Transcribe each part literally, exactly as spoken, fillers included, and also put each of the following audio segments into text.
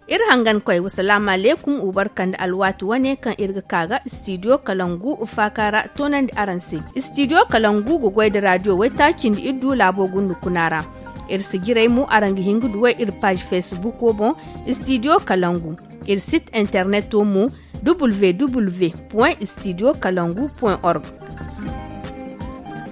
Iri hangan koy wasalaamu aleykum, ubarkandi alwaati wane kaŋ iri ga ka ga istidiyo kalangu faaka ra toonandi araŋ se. Istidiyo kalangu ga goy nda raadiyo waytaaci nda iri du laabo gundu kuna ra. Iri sijirey mo araŋ ga hin ga duw'ey iri paazi fesbuko boŋ, istidiyo kalangu. Iri sit interneto mo, www point studio kalangu point org.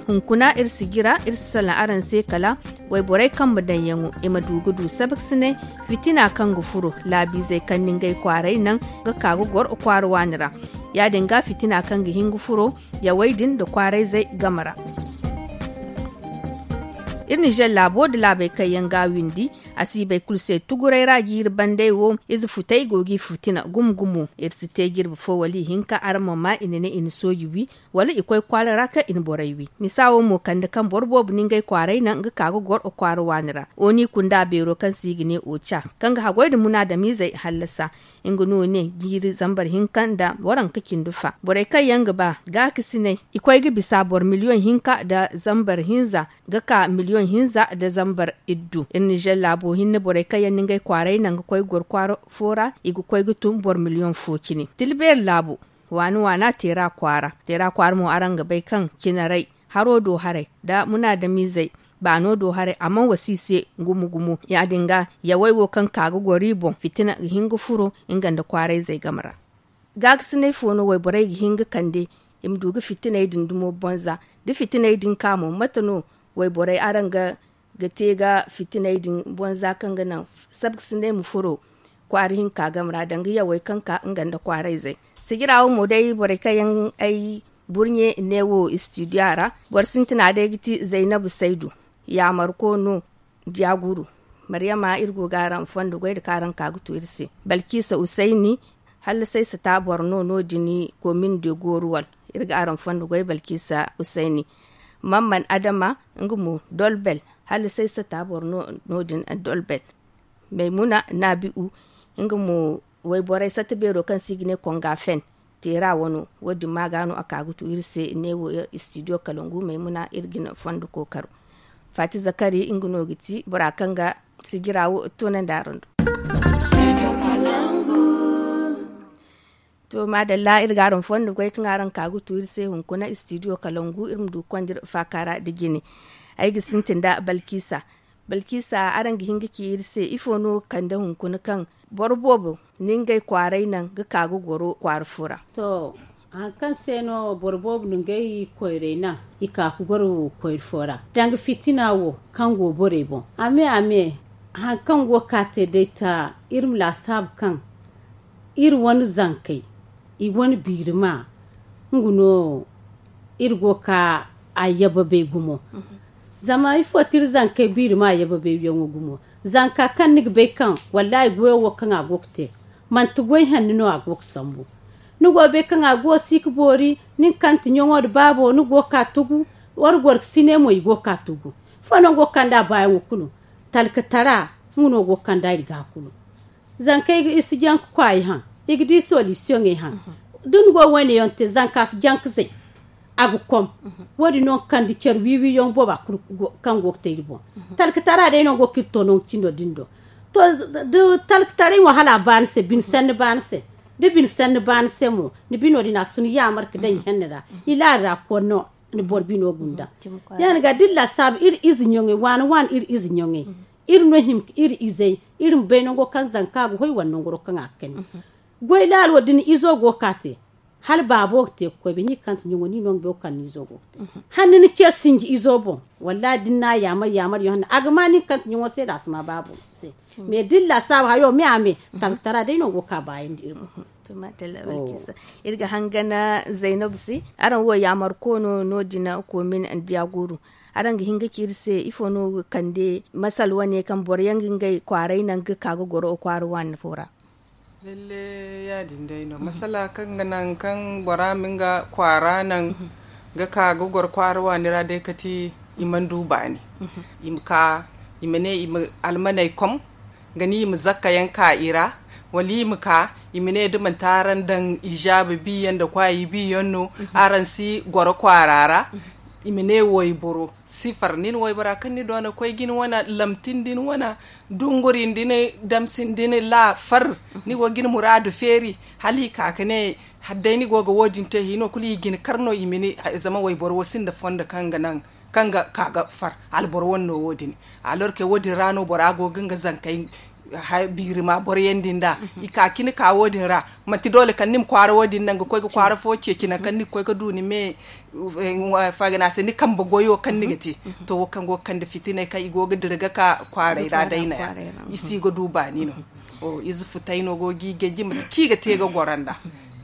Hunkuna iri si jira iri si salaŋ araŋ se kala wayborey kambe daŋyaŋo i ma du ga du sabaksinay fitina kaŋ ga furo laabiizey kaŋ na ngey kwaaray naŋ ga ka ga goro kwaara waani ra. Ya- din ga fitina kaŋ ga hin ga furo yawey din nda kwaarayzey game ra. Iri nizer laabo nda laabey kaŋ yaŋ ga a windi, asiibey kulu se tuguray ra jiiri bandey wo ize futey go g'i fitina gumo gumo. Iri si te jirbi fo wala ihinka araŋ ma maa i na ne i na sooji wi, wala i koy kwaara ra kaŋ i na borey wi. Misa wo mo kande kaŋ boro boobo na ngey kwaaray naŋ ga ka ga goro kwaara waani ra. Oni kunda beero kaŋ se i ga ne oca, kaŋ ga haggoy nda munaadamiizey hallasa. Nga no ne jiiri zambar hinka nda waranka cindi fa borey kaŋ yaŋ ga ba gaakasinay, i koy ga bisa boro miliyoŋ hinka nda zambar hinza ga ka miliyoŋ hinza nda zambar iddu. Iri nizer laabo hinne borey kaŋ yaŋ na ngey kwaaray naŋ ga koy goro kwaara fo ra, i ga koy ga tun boro miliyoŋ fo cine. Tila beeri laabo, waana waana teera kwaara. Teera kwaara mo araŋ ga bay kaŋ cinaray, haro do haray nda munaadamiizey baano do haray a mana wasa i se gumo gumo. Ya- din ga yawey wo kaŋ ka ga goro i boŋ fitina ga hin ga furo nga nda kwaarayzey game ra. Gaakasinay fo no wayborey ga hin ga kande i ma du ga fitiney din dumo bonza? Da fitiney din ka mo, mate no wayborey araŋ ga te ga fitiney din bonza kaŋ ga naŋ sabkasinay ma furo kwaara hinka game ra danga yawey kaŋ ka nga nda kwaarayzey? Sijira wo mo day borey kaŋ yaŋ ay burɲe ne wo istidiya ra, boro sintina day ga ti zaynabu saydu, yaamarko no. Diyaguru, maryama iri go ga araŋ fondo goy nda kaŋ araŋ ka ga tu iri se. Balkisa usayni, hala saysata boro no no- din komin de goruwal. Iri ga araŋ fondo goy balkisa usayni. Mamman adama, nga mo dolbel, hala saysata boro no- din dolbel. Maymuna nabi'u, nga mo wayborey satta beero kaŋ se i ga ne konga fen teera wano. Wo- din ma ga no a ka ga tu iri se ne wo istidiyo kalangu maymuna iri ga ni fondo kookaro. Fati zakari nga no ga ti bora kaŋ ga sijira wo toonandi araŋ do. To maadalla iri ga araŋ fondo goy kaŋ araŋ ka ga tu iri se hunkuna istidiyo kalangu iri ma du ga konda iri faaka ra nda jine. Ay ga sintin nda balkisa. Balkisa, araŋ ga hin ga ci iri se ifo no ga kande hunkuna kaŋ boro boobo na ngey kwaaray naŋ ga ka ga goro kwaara fo ra? To, hari kaŋ se no boro boobo na ngey koyray naŋ i ka ga goro kwaara fo ra danga fitina wo kaŋ go borey boŋ? A me a me, hari kaŋ go ga ka te day ta iri ma laasaabu kaŋ iri wane zankey, i wane biirima, nga no iri go ga ka a yababay gumo. Zama ifo ti iri zankey biirima yababay yaŋo gumo? Zanka kaŋ ni ga bay kaŋ wallahi goyo wo kaŋ a go ga te, manti goy hanno no a go ga sambu. Ni go ga bay kaŋ a go si ga boori, ni ga kante ɲaŋo nda baabo ni go ga ka tugu. Wara gorkasine mo i go ga ka tugu. Ifo no ni go ga kande a baayaŋo kulu? Talkatara, nga no go ga kande a iri ga kulu. Zankey ga i si janka kwaayi haŋ, i ga di solisiyoŋey haŋ. Da ni go wayne yaŋ te zanka si janka zay, a ga kom. Wo- din no ga kande care wiiwi yaŋ booba kulu kaŋ go ga te iri boŋ. Talkatara day no go ga iri to nangu cindo din do. To, da talkataray mo hala a baani se bine sanni baani se. Da bine sanni baani se mo ni bino din a si ni yaamar ga daŋ i hanni ra, i laari ra koy no. Ni boro bino gunda. Ya- din ga da iri laasaabu iri ize ɲaŋey waana waana iri ize ɲaŋey, iri no hima ga iri izey, iri ma bay nango kaŋ zanka ga hoy wala nangoro kaŋ a ga kani. Goy laalo da ni izo go ga ka te, hala baabo ga te ga koy bay ni ga kante ɲaŋo ni no ga bay wo kaŋ ni izo go ga te. Hala ni na ce sinji izo boŋ, wallahi da ni na a yaamar yaamar yaŋ hanno a ga ma ni ga kante ɲaŋo se da a si ma baabo se. Mais da iri laasaabu hayo me a me, talkatara day no go ga ka baayandi iri boŋ. To maadalla balkisa, iri ga hangana zaynabu se. Araŋ wo yaamar koono no- din komin diyaguru. Araŋ ga hin ga ci iri se ifo no ga kande masal wane kaŋ boro yaŋ ga ngey kwaaray naŋ ga ka ga goro kwaara waani fo ra? Lalle, ya- din day no masala kaŋ ga naŋ kaŋ bora ma nga kwaara naŋ ga ka ga goro kwaara waani ra day kati i mana du baani. I ma ka, i ma ne i ma almaney kom ga ni i ma zakka yaŋ ka i ra. Wala i ma ka, i ma ne da manti araŋ daŋ ijaabi biyaŋ nda kwaayi biyaŋ no, araŋ si goro kwaara ra. I ma ne wayboro si far nin waybora kaŋ ni doona koy ga ni wane lamtin da ni wane dunguri nda ni damsin da ni la far. Ni go ga ni muraadu feeri hala i ka ga ne, hala day ni go ga wo- din te hino kulu i ga ni kar no i ma ni. Zama wayboro wo sinda fondo kaŋ ga naŋ kaŋ ga ka ga far. Alboro wane no wo- din. Alorke wo- din ra no bora go ga nga zankey biiri ma boro yaŋ din da i ka ga ni ka wo- din ra. Manti doole kala ni ma kwaara wo- din naŋ ga koy ga kwaara fo ceeci naŋ kaŋ ni ga koy ga du ni me. Fagana se ni kambe goyo kaŋ ni ga te. To wo kaŋ go ga kande fitinay kaŋ i go ga dira ga ka kwaaray ra day no ya. I si ga du baani no. Ize futay no go ga i ganji mate kaŋ i ga te ga goro nda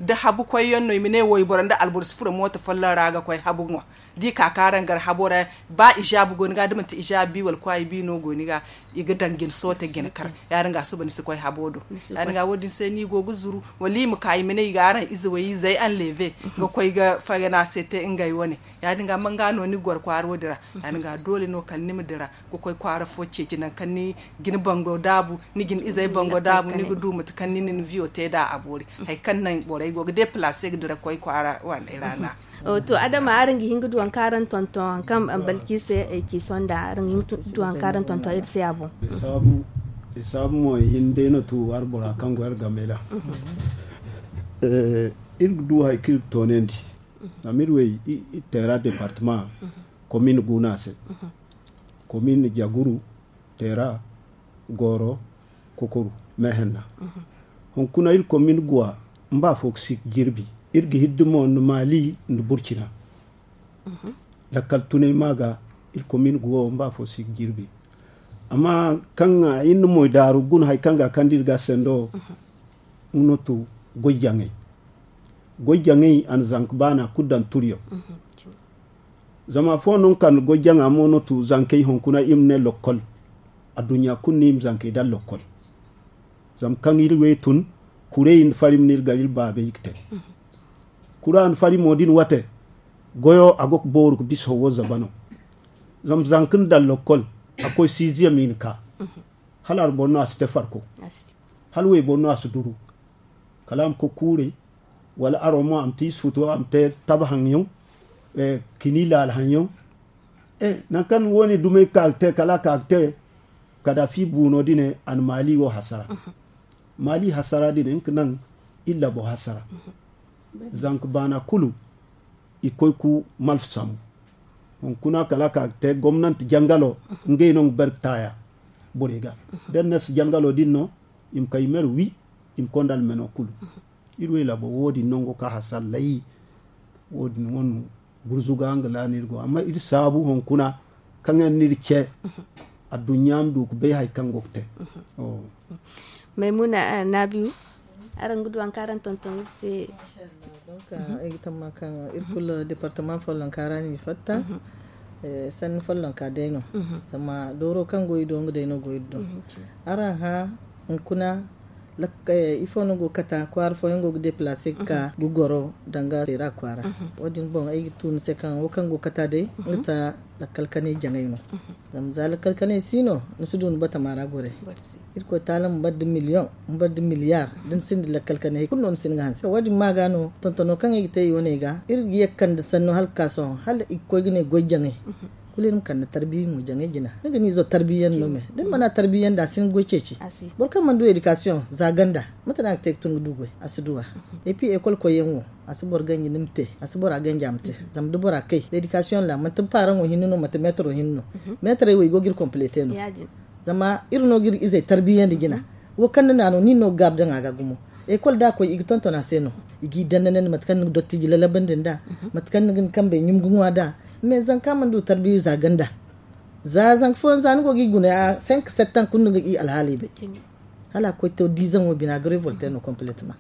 da habu koy yaŋ no i ma ne wayboro nda alboro si furo mooto folloŋ ra ga koy habu ŋwa. Da i ka ka araŋ gar habo ra, ba ijaabu go ni ga da manti ijaabu bi wala kwaayi bi no go ni ga. I ga daŋ jine soote jine kar. Ya- din ga suba ni si koy habo do. Ya- din ga wo- din se no i go ga zuru wala i ma ka i ma ne i ga araŋ ize way izey anleve ga koy ga fagana se te ngey wane. Ya- din ga manga no ni ga goro kwaara wo- din ra. Ya- din ga doole no kala ni ma dira ga koy kwaara fo ceeci naŋ kaŋ ni jine bango daabu ni jine izey bango daabu ni ga du mate kaŋ ni na ni viyo te nd'a a boori. Hari kaŋ naŋ borey go ga deplace ga dira koy kwaara wane ra na. To adama araŋ ga hin ga du hari kaŋ araŋ tonton hari kaŋ balki se ci sonda araŋ ga hin ga du hari kaŋ araŋ tonton iri se a boŋ. Isaabu mo i hin day no tu hari bora kaŋ go hari game ra. Iri ga du hari kaŋ iri ga toonandi. Zama iri wey iri teera departema komin gu no a se. Komin jaguru, teera, gooro, kokoru, meehenna. Hunkuna iri komin guwa mba fo ga si ga jirbi. Iri ga hiddi mo nda maali nda burcina. Lakkal tunay ma ga iri komin guwa mba fo si ga jirbi. Amma kaŋ iri na moy daaru guna hari kaŋ ga a kande iri ga sendo. Nga no tu goy jaŋay. Goy jaŋay a na zanka baana kulu daŋ turyaŋ. Zama afo no nga kande goy jaŋa mo no tu zankey hunkuna i ma ne lokkol. Adduɲɲa kulu no i ma zankey daŋ lokkol. Zama kaŋ iri wey tun kuray nda fari ma no iri gar iri baabey ga te. Kura nda fari mo da ni wate goyo a go ga booru ga bisa howo zaba no. Zama zanka nda daŋ lokkol a koy siiziyam i na ka. Hala alboro no a si te farko. Hala wayboro no a si duru. Kala a ma koy kuuray wala aro mo a ma te isufutu a ma te tabahaŋyaŋ. Kini laalahaŋyaŋ. Nangu kaŋ wo- ne dumey ka ga te kala a ka ga te. Kadafi buuno din a na maali wo hasara. Maali hasara din nga ga naŋ iri labo hasara. Zanka baana kulu i koy ku malfa sambu. Hunkuna kala a ka ga te gomnanti jangalo ngey no nga bar ga taaya borey ga. Da ni na si jangalo din no i ma kay mer wi i ma konda almeno kulu. Iri wey labo wo- din nango ka hasara lay. Wo- din wano gurzuga nga la no iri go amma iri saabu hunkuna kaŋ yaŋ no iri ce. Adduɲɲa ma du ga bay hari kaŋ go ga te. Maymuna naabiyu, araŋ ga du hari kaŋ araŋ tonton iri se. Ay ga tamma kaŋ iri kulu departement follonka ra no i fatta. Sanni follonka day no. Zama dooro kaŋ go i do nga day no go iri do. Araŋ hã hunkuna ifo no go ga kata kwaara fooyaŋ go ga deplace ga ka ga goro danga teera kwaara. Wo- din boŋ ay ga tu ni se kaŋ wo kaŋ go ga kata day nga ta lakkal kanay jaŋay no. Zama za lakkal kanay si no ni si du ni batama ra goray. Irkoy taala ma bar da million ma bar da milliard da ni sinda lakkal kanay hari kulu no ni si hin ga hanse wo- din ma ga no tontono kaŋ ay ga te i wane ga iri ga ye ga kande sanno hala ga ka sohõ hala i ga koy ga ne goy jaŋay. Kulu iri ma kande tarbiya mo jaŋay jina ni ga ni izo tarbiya yaŋ no me da ni mana tarbiya yaŋ da a si hin ga goy ceeci. Boro kaŋ mana du education za ganda mate no a ga te ga tun ga du goy a si du a. Et puis école koy yaŋ wo a si boro ganji ni ma te a si bora ganji a ma te. Zama da bora kay l'éducation ra manti paraŋo hinne no manti maîtro hinne no. Maîtrey wo i go ga iri compléter no. Zama iri no ga iri izey tarbiyandi jina. Wo kaŋ ni na no nin no ga gaabi daŋ a ga gumo. École da a koy i ga tonton a se no. I g'i danda nandi mate kaŋ ni ga dottiji lalabandi nda mate kaŋ ni ga ni kambey ɲum ga ŋwa da. Mais zanka mana du tarbiya za ganda. Za zanka fooyaŋ za ni go g'i guna cinq sept ans kulu ni ga i alhaaley bay. Hala a koy to diizaŋo bine a ga révolté no complètement.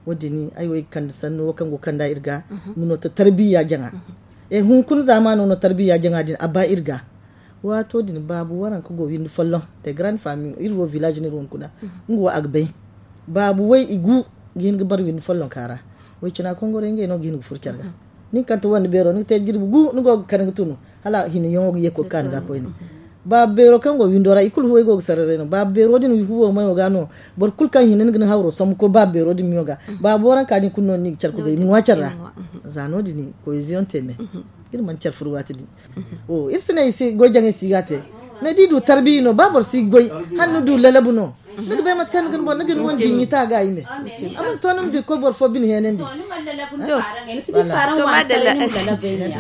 Wo- din ay wo ay ga kande sanno wo kaŋ go ga kanda iri ga. Nga no to tarbiya jaŋa. E hunkuna zaamaano no tarbiya jaŋa din a ba iri ga. Waato din baabu waranka go windi folloŋ de grande famille iri wo village no iri hunkuna. Nga wo a ga bay. Baabu way i gu ga hin ga bar windi follonka ra. Way cina kongorey ngey no ga hin ga furo care ga. Ni ga kande wande beero ni ga te jirbi gu ni go ga kande ga tunu. Hala hinayaŋo ga ye koy ga ka ni ga koyne. Baabu beero kaŋ go windo ra i kulu huwey go ga sararay no. Baabu beero din huwo mayo ga no. Boro kulu kaŋ hina ni ga ni hawro sambu koy baabu beero din miyo ga. Baabu waranka din kulu no ni ga care ga bay i ma ŋwa care ra. Za no- din koyeziyoŋ te me. Iri mana care furu waati din. Iri si ne i si goy jaŋay si ga te. Mais da i du tarbiya no ba boro si goy, hala ni du lalabu no. Ni ga bay mate kaŋ ni ga ni boŋ ni ga ni wane jiŋ ita ga i me. A mana to ni ma di koy boro fo bine heenandi. To, madalla.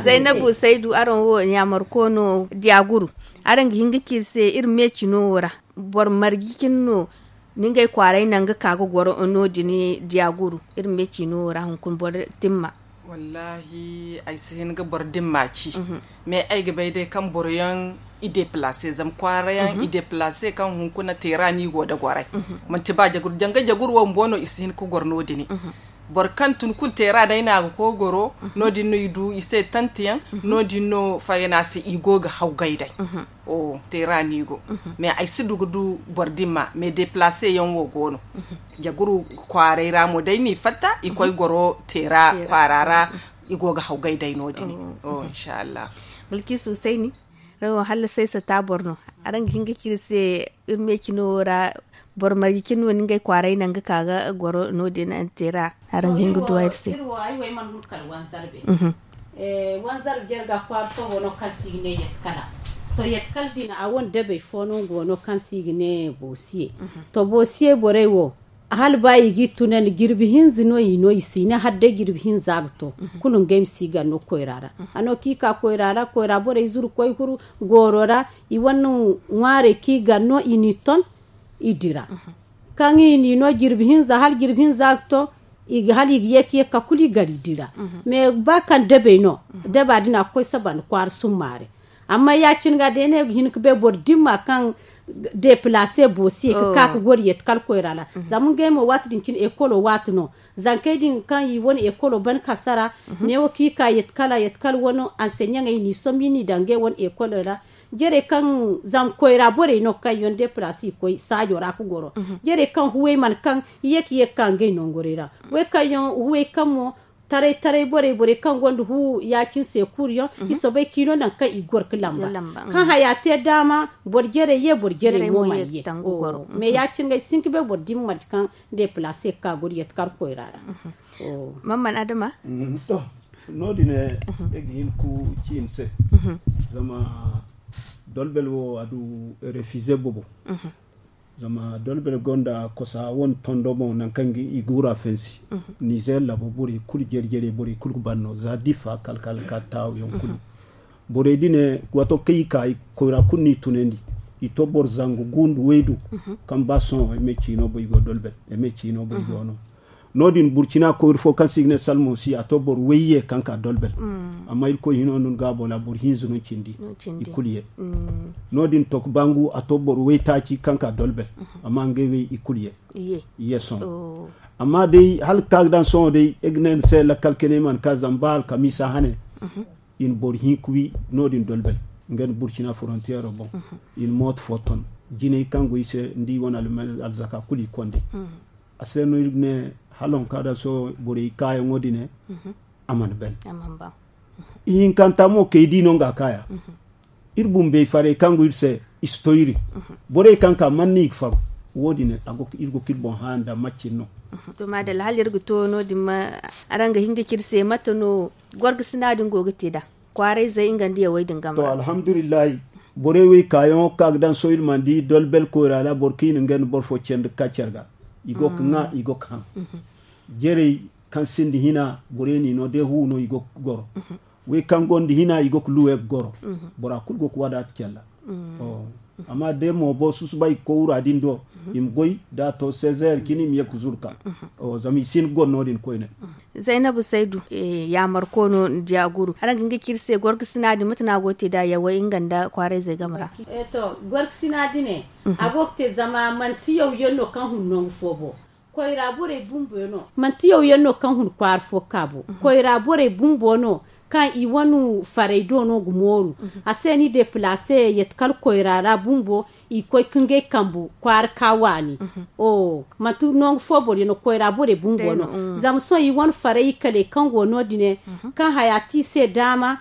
Zaynabu saydu araŋ wo ɲaamar koono diya guru. Araŋ ga hin ga ci iri se iri meecino wo ra, boro marje cine no ni ngey kwaaray naŋ ga ka ga goro no- din diya guru. Iri meecino wo ra hunkuna boro dimma. Wallaahi, ay si hin ga boro dimma ci. Mais ay ga bay day kaŋ boroyaŋ i deplace zama kwaarayaŋ i deplace kaŋ hunkuna teera no i go nda goray. Manti ba jaguru janga jaguru wo bumbo no i si hin ga goro no- din. Boro kaŋ tun kulu teera day no a ga koy goro, no- din no i du i se tantiyaŋ, no- din no fayana se i go ga hawgay day. Teera no i go. Mais ay si du ga du boro dimma mais deplace yaŋ wo go no. Jaguru kwaaray ra mo day no i fatta i koy goro teera kwaara ra. I go ga hawgay day no- din. Inshallah. Balkisu sayni. Rawo hala saysa ta boro no. Araŋ ga hin ga ci iri se iri meecino wo ra, boro marje cine no ni ngey kwaaray naŋ ga ka ga goro no- din teera. Araŋ ga hin ga duwa iri se. Iri wo ay wo ay mana hun kala wanzarbe. Wanzarbe jere ga kwaara fo go no kaŋ se i ga ne yadda kala. To yadda kala din a wane dabey fo no go no kaŋ se i ga ne boosiye. To boosiye borey wo, hala ba i g'i tunandi jirbi hinza no i no i si ne hala day jirbi hinza ga to. Kulu ngey ma si gar no koyra ra. A no kaŋ i ka koyra ra koyra borey zuru koy huru gooro ra. I wane ŋwaarey kaŋ i gar no i n'i ton i dira. Kaŋ i n'i no jirbi hinza hala jirbi hinza ga to, hala i ga ye ka ye ga ka kulu i gar i dira. Mais ba kaŋ dabey no, daba din a ga koy saba nda kwaara summaare. Amma ya- cine ga day no ay ga hin ga bay boro dimma kaŋ deplace boosiye ga ka ga goro yadda kala koyra ra. Zama ngey mo waati din cine ekolo waati no. Zankey din kaŋ i wane ekolo ban kasara, neewo kaŋ i ka yadda kala yadda kala wane anseɲaŋey n'i sombu i n'i daŋ ngey wane ekolo ra. Jere kaŋ zama koyra borey no kaŋ yaŋ deplace i koy saajo ra ga goro. Jere kaŋ huwey mana kaŋ i ye ka ye ga ka ngey nongorey ra. Wey kaŋ yaŋ huwey kaŋ mo taray taray borey borey kaŋ gonda hu ya- cine se kuuru yaŋ i soobay ka i no nangu kaŋ i ga goro ga lamba. Kaŋ haya te daama boro jerey ye boro jerey mo mana ye. Mais ya- cine ga ay si hin ga bay boro dimma marje kaŋ deplace ga ka goro yadda kala koyra ra. Mamman adama. To, no- din ay ga hin ga ci ni se. Zama dolbel wo a du refuse boobo. Zama dolbel gonda kosa wane tondo boŋ nangu kaŋ i ga wura fensi. Nizer labo borey kulu jere jere borey kulu ga ban no za difa kala kala ka taawu yaŋ kulu. Borey din ne waato kaŋ i ka koyra kulu no i tunandi. I to boro zangu gundu waydu kaŋ ba sohõ ay ma ay ciino boy go dolbel ay ma ay ciino boy go no. No- din burcina koyra fo kaŋ se i ga ne salmosi a to boro wayye kaŋ ka dolbel. Amma irkoy hino no ni gaabo ra boro hinza no cindi. I kulu ye. No- din to ga bangu a to boro waytaaci kaŋ ka dolbel. Amma ngey way i kulu ye. I ye sohõ. Amma day hala ga ka ga daŋ sohõ day ay ga ne ni se lakkal kene i mana ka zama ba alkamiisa hane. I na boro hinka wi no- din dolbel nga nda burcina forontiyero boŋ. I na mooto fo ton jinay kaŋ go i se nda i wane alzaka kulu i konde. A se no iri ga ne hala waŋ kaŋ a daŋ sohõ borey kaayaŋo din a mana ban. Ihinkanta mo kay di no nga kaaya. Iri bumbey farey kaŋ go iri se i si to iri. Borey kaŋ ka man no i ga faru. Wo- din iri go ga iri boŋ hã nda macin no. To madalla hala iri ga to no- din ma araŋ ga hin ga ci iri se mate no gorgasina din go ga te nd'a kwaarayzey nga nda yawey din game ra. To alhamdulillahi, borey wo i kaayaŋo ga ka ga daŋ sohõ iri mana di dolbel koyra ra boro kaŋ i na ngey nda boro fo candi ga ka care ga. I go ga ŋwa i go ga haŋ. Jerey kaŋ sinda hina borey n'i no day hu no i go ga goro. Wey kaŋ gonda hina i go ga luwe ga goro. Bora kulu go ga wadaata care ra. Amma day mo boro susubay ga koy wura din do i ma goy da a to sezer cine i ma ye ga zuru ka. Zama i si hin ga goro no- din koyne. Zaynabu saydu, yaamar koono nda diya guru araŋ ga hin ga ci iri se gorgasina din mate no a go ga te nd'a yawey nga nda kwaarayzey game ra? To, gorgasina din a go ga te zama manti yaw yaŋ no kaŋ hun nangu fo bo. Koyra borey bumbo no manti yaw yaŋ no kaŋ hun kwaara fo ga ka bo. Koyra borey bumbo no kaŋ i wane farey do no ga mooru. A se no i deplace yadda kala koyra ra bumbo i koy ga ngey kambu kwaara ka waani. Manti nangu fo boro yaŋ no koyra borey bumbo no. Zama sohõ i wane farey i kale kaŋ go no- din kaŋ haya te i se daama.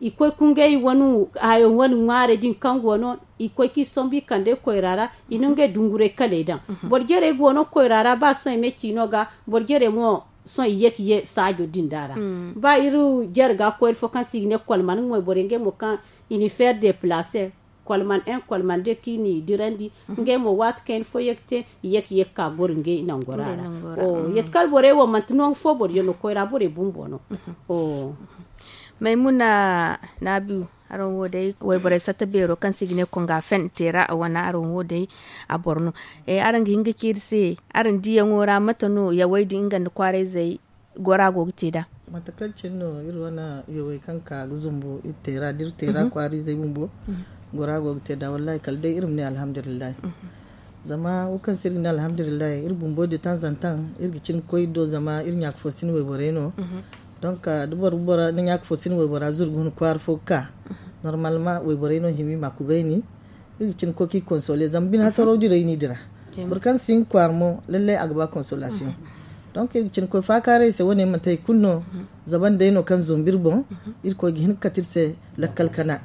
i koy ka ngey wane hayo wane ŋwaarey din kaŋ go no, i koy ka i sombu i kande koyra ra. I na ngey dunguray kaley daŋ. Boro jarey go no koyra ra ba sohõ i ma ci no ga. Boro jarey mo sohõ i ye ka ye saajo din da ra. Ba iri jare ga koy iri fo kaŋ se i ga ne kolman nga mo i borey ngey mo kaŋ i na i feeri deplacer, kolman en kolman de kaŋ i n'i dirandi. Ngey mo waati kaŋ i na fo ye ga te, i ye ka ye ga ka goro ngey nangora ra. Yeti kala borey wo manti nangu fo boro yaŋ no koyra borey bumbo no. Maymuna, naabiyu, araŋ wo day wayborey satta beero kaŋ se i ga ne konga fen teera a wane araŋ wo day a boro no. Araŋ ga hin ga ci iri se, araŋ diyaŋo ra mate no yawey din nga nda kwaarayzey gora go ga te nd'a? Mate kaŋ cine no iri wane yawey kaŋ ka ga zumbu iri teera da iri teera kwaariizey bumbo, gora go ga te nd'a wallahi kala day iri ma ne alhamdulillahi. Zama wo kaŋ se iri ga ne alhamdulillahi iri bumbo de tanzantan iri ga cin ga koy iri do zama iri ɲaaka fo si ni wayborey no. Donk da boro ga bora ni ɲaaka fo si ni waybora zurgu huna kwaara fo ga ka, normalement wayborey no hima i ma a kubayni. Iri ga cin ga koy ka i konsole zama bine hasaraw direy no i dira. Boro kaŋ si hin ga kwaara mo lallay a ga ba konsolasiyoŋ. Donk iri ga cin ga koy faakaaray se wane manti hari kulu no. Zaban day no kaŋ zumbu iri boŋ. Iri koy ga hin ga kate iri se lakkal kana.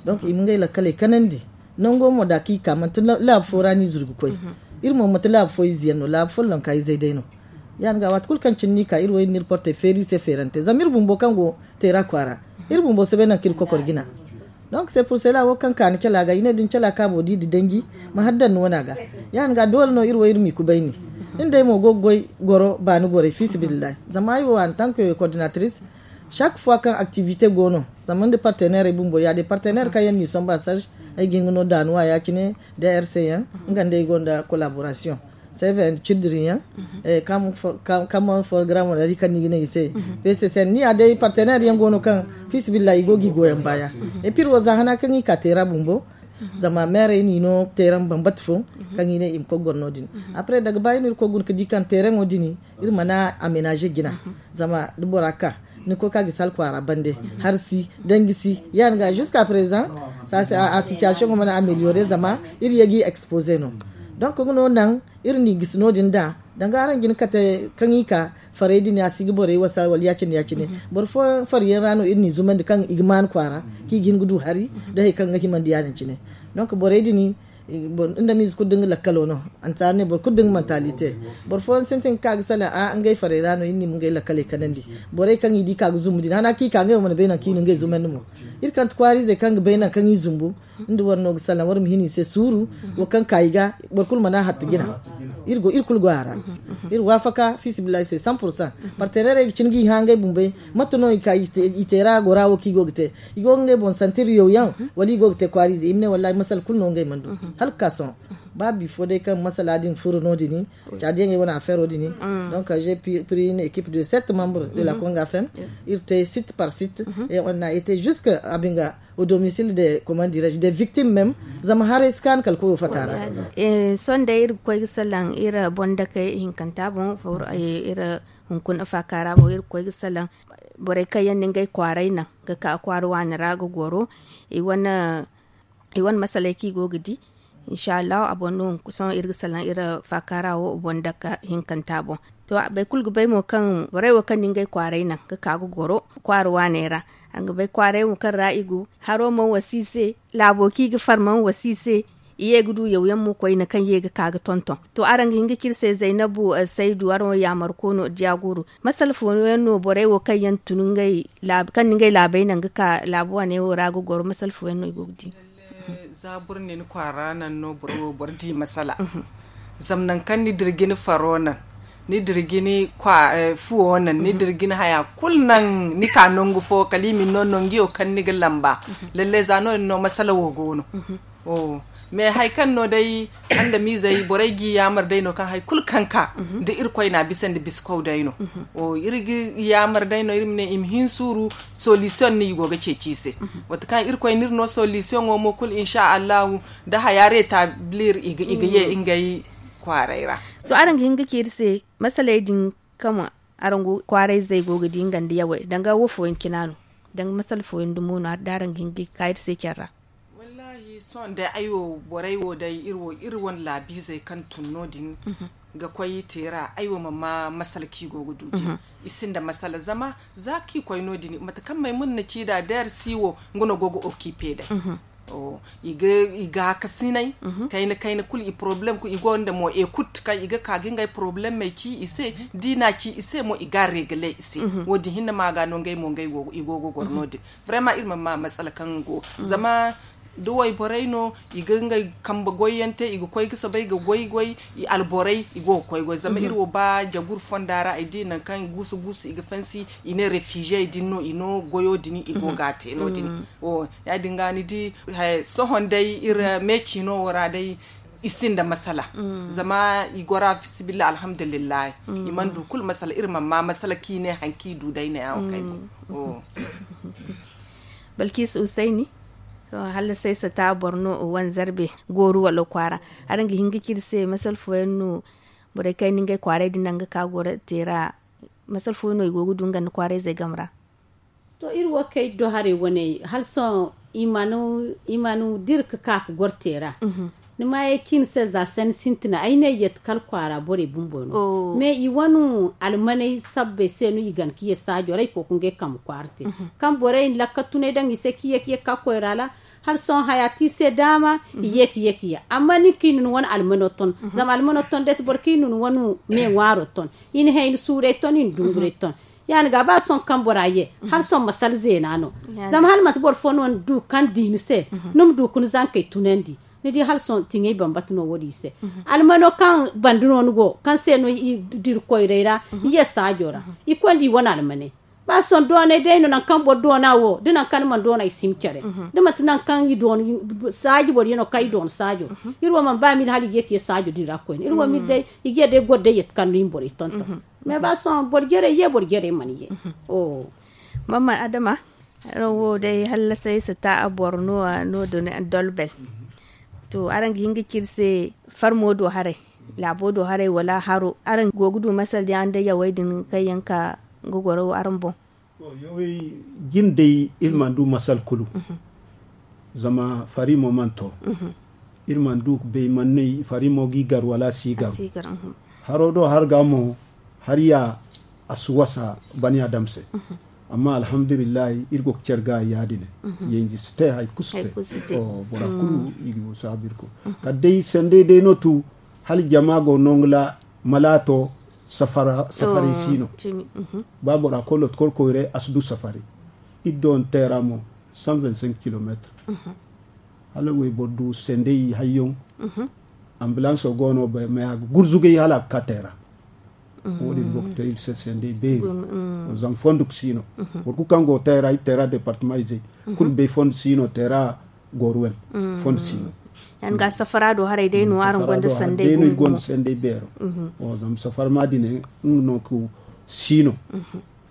Donk i ma ngey lakkaley kanandi. Nango mo da kaŋ i ka manti laabu fo ra no i zuru ga koy. Iri mo manti laabu fo ize yaŋ no laabu follonka izey day no. Ya- din ga waati kulu kaŋ cine no i ka iri wo iri na iri portey feeri i se feerante zama iri bumbo kaŋ go teera kwaara, iri bumbo si bay nangu kaŋ iri kokor jina. Donk se purse ra wo kaŋ ka ni cala ga i ne da ni cala kaabo di da danji, ma hari daŋ ni wana ga. Ya- din ga doole no iri wo iri m'i kubayni. Iri day mo go ga goy goro baani borey fiisabilillahi zama ay wo antank koordinatris, chaque fois kaŋ aktivite go no, zama nda parteneerey bumbo ya- din parteneer kaŋ yaŋ n'i somba sarge, ay ga hin ga no daanuwa ya- cine, drc yaŋ, nga nda ay gonda kolaborasiyoŋ. Seven children yaŋ, kaman forogaraamo ra di kaŋ ni ga ne i se. P c c n ni ya day parteneer yaŋ go no kaŋ fiisabilillahi i go ga i goyaŋ baaya. Epir wo za hana kaŋ i ka teera bumbo, zama meerey n'i no teeraŋ bambata fo, kaŋ i ne i ma koy goro no- din. Apre daga baayi no iri koy guna ga di kaŋ teeraŋo din iri mana amenaze jina. Zama da bora ka ni koy ka gisi alkwaara bande, hari si, danji si. Ya- din ga jusque à présent, a situation mana ameliore zama iri ye ga i expose no. Donk nga no naŋ iri n'i gisi no- din da danga araŋ jina kate kaŋ i ka farey din a si ga borey wasa wala ya- cine ya- cine. Boro fooyaŋ fari yaŋ ra no iri n'i zumandi kaŋ i ga maanu kwaara, kaŋ i ga hin ga du hari da hari kaŋ ga himandi ya- din cine. Donk borey din, nda miize kulu da nga lakkalo no. Ansaara ne boro kulu da nga mantalite. Boro fooyaŋ sintin ga ka ga salaŋ a ngey farey ra no iri n'i ma ngey lakkaley kanandi. Borey kaŋ i di ka ga zumbu din hana kaŋ i ka ngey wo mana bay nangu kaŋ i na ngey zumandi mo. Iri kante kwaariizey kaŋ ga bay nangu kaŋ i zumbu, nda war no ga salaŋ war ma hin i se suuru. Wo kaŋ ka i ga boro kulu mana hatta jina. Iri kulu go a ra. Iri waafaka fiisabilillahi se cent pour cent. Parteneerey ga cin ga i hã ngey bumbey. Mate no i ka i teera gora wo kaŋ i go ga te? I go ga ngey boŋ santir yaw yaŋ, wala i go ga te kwaariize i ma ne wallahi masala kulu no ngey mana du. Hala ga ka sohõ, ba bifo day kaŋ masala din furo no- din, caadiyaŋey wane afeero din. Donc j'ai pris une équipe de sept membres de la conga fem. Iri te site par site, et on a été jusque abinga au domicile des, comment dirais-je, des victimes même. Zama haray si kaanu kala koyo fata ra. Sohõ day iri ga koy ga salaŋ iri bondakey hinkanta boŋ. Iri hunkuna faaka ra boŋ iri ga koy ga salaŋ borey kaŋ yaŋ na ngey kwaaray naŋ ga ka kwaara waani ra ga goro. I wane masaley kaŋ i go ga di, inshallahu a boŋ no. Sohõ iri ga salaŋ iri faaka ra wo bondaka hinkanta boŋ. To, boro kulu ga bay mo kaŋ borey wo kaŋ na ngey kwaaray naŋ ga ka ga goro kwaara waaney ra. Araŋ ga bay kwaaray wo kaŋ ra i go, haro mana wasa i se, laabo kaŋ i ga far mana wasa i se. I ye ga du yawyaŋ mo koyne kaŋ ye ga ka ga tonton. To, araŋ ga hin ga ci iri se zaynabu saydu araŋ wo yaamarko no diya guru. Masala fooyaŋ no borey wo kaŋ yaŋ tun ngey kaŋ na ngey laabey naŋ ga ka laabu waaney wo ra ga goro masala fooyaŋ no i go ga di? Za boro ne ni kwaara naŋ no boro wo boro di masala. Zama nangu kaŋ ni dira ga ni faro naŋ, ni dira ga ni fuwo naŋ, ni dira ga ni haya kulu naŋ, ni ka nangu fo kala i ma ni no nanguyo kaŋ ni ga lamba. Lallai za no- din no masala wo go no. Mais hari kaŋ no day andamiizey borey ga i yaamar day no kaŋ hari kulu kaŋ ka da irkoy na a bisa nda bisa kaw day no. Iri ga i yaamar day no iri ma ne i ma hin suuru, solution no i go ga ceeci i se. Waati kaŋ irkoy n'iri no solution wo mo kulu insa allahu, da haya retablir i ga ye ngey kwaaray ra. To, araŋ ga hin ga ci iri se masaley din kaŋ araŋ go kwaarayzey go ga di nga nda yawey danga wo fooyaŋ cina no? Danga masala fooyaŋ dumo no da araŋ ga hin ga ka iri se care ra? Wallahi sohõ day ay wo borey wo day iri wo iri wane laabiizey kaŋ tun no- din. Ga koy teera ay wo ma ma masala kaŋ i go ga du din. I sinda masala zama za kaŋ i koy no- din mate kaŋ maymuna na ci nd'a deer si wo nga no go ga okipe day. I ga hakasinay kayna kayna kulu i porobalem kulu i go nda mo ekut kaŋ i ga ka ga ngey porobalemey ci i se. Da i n'a ci i se mo i ga a regele i se. Wo- din hinne ma ga no ngey mo i go ga goro no- din. Vrema iri ma ma masala kaŋ go zama da wayborey no i ga ngey kambe goyyaŋ te i ga koy ga soobay ga goy goy. I alborey i go ga koy goy zama iri wo ba jagur fonda ra ay di nangu kaŋ guusu guusu i ga fansi i ne refugey din no i no goyo din i go ga a te no- din. Ya- din ga ni di sohõ day iri me ciino wo ra day i sinda masala. Zama i gora fisibillah alhamdulillahi. I mana du kulu masala iri mana ma masala kaŋ i ne hari kaŋ i du day ne ya wo kay go. Balkiisa usayni, hala say sata boro no wane zarbe gooru wala kwaara. Araŋ ga hin ga ci iri se masala fooyaŋ no borey kaŋ ay na ngey kwaaray din naŋ ga ka goro te ra? Masala fooyaŋ no i go ga du nga nda kwaarayzey game ra? To iri wo kaŋ iri do haray wane hala sohõ i mana i mana dira ga ka ga goro te ra. Ni ma ye cine se za sanni sintina ay ne yadda kala kwaara borey bumbo no. Mais i wane almaney sabbey se no i gana ga ye saajo ra i koy ga ngey kambe kwaara te. Kaŋ borey na lakka tunay daŋ i se ga ye ga ye ga ka koyra ra hala sohõ haya te i se daama. I ye ga ye ga ye amma nin kaŋ i na ni wane almano ton zama almano ton day ti boro kaŋ i na ni wane me ŋwaaro ton. I na hayni suurey ton i na dunguray ton. Ya- din ga ba sohõ kaŋ bora ye hala sohõ masala zeena no. Zama hala manti boro fo no ni du kaŋ di ni se ni ma du ga ni zankey tunandi. Ni di hala sohõ tiŋay bambata no wo- din i se. Almano kaŋ banda no ni go kaŋ se no i dira koyray ra i ye saajo ra. I konda i wane almaney ba sohõ doonay day no nangu kaŋ boro doona wo da nangu kaŋ ni mana doona i si ma care. Da manti nangu kaŋ i doona saaji boro yaŋ no kaŋ i doona saajo. Iri wo mana ba mili hala i ga ye ga ye saajo din ra koyne iri wo mili day i ga ye day goro day yadda kaŋ no i ma borey tonton. Mais ba sohõ boro jarey ye boro jarey mana ye. Mamman adama, araŋ wo day hallasay sata boro no a no- din dolbel. To araŋ ga hin ga ci iri se farmo do haray, laabo do haray wala haro araŋ go ga du masala din araŋ day yawey din kaŋ yaŋ ka ga goro araŋ boŋ? Yawey jine day iri mana du masala kulu. Zama fari mo mana to. Iri mana du ga bay mana no fari mo ga i gar wala a si garu. Haro do hari ga mo hari ya a si wasa bani adam se. Amma alhamdulillahi iri go ga care ga ya- din. Yanji si te hari kulu si te. Bora kulu i ga saabu iri kulu kala day sanday day no tu hala jama go nongu ra. Malaato safaray si no. Ba bora koy loto koro koyray a si du safaray. Iri doona teera mo cent vingt cinq kilometre. Hala wayboro du sanday hayyaŋ. Ambulanso go no bay maya ga gurzugay hala a ga ka teera. Wo- din go ga te iri se sanday beeri. Zama fondo ga si no. Boro kulu kaŋ go teera iri teera departama izey kulu bay fondo si no teera. Gooru wane fondo si no. Yaŋ ga safara do haray day no araŋ gonda sanday beero. Zama safara ma dine nga no ga si no.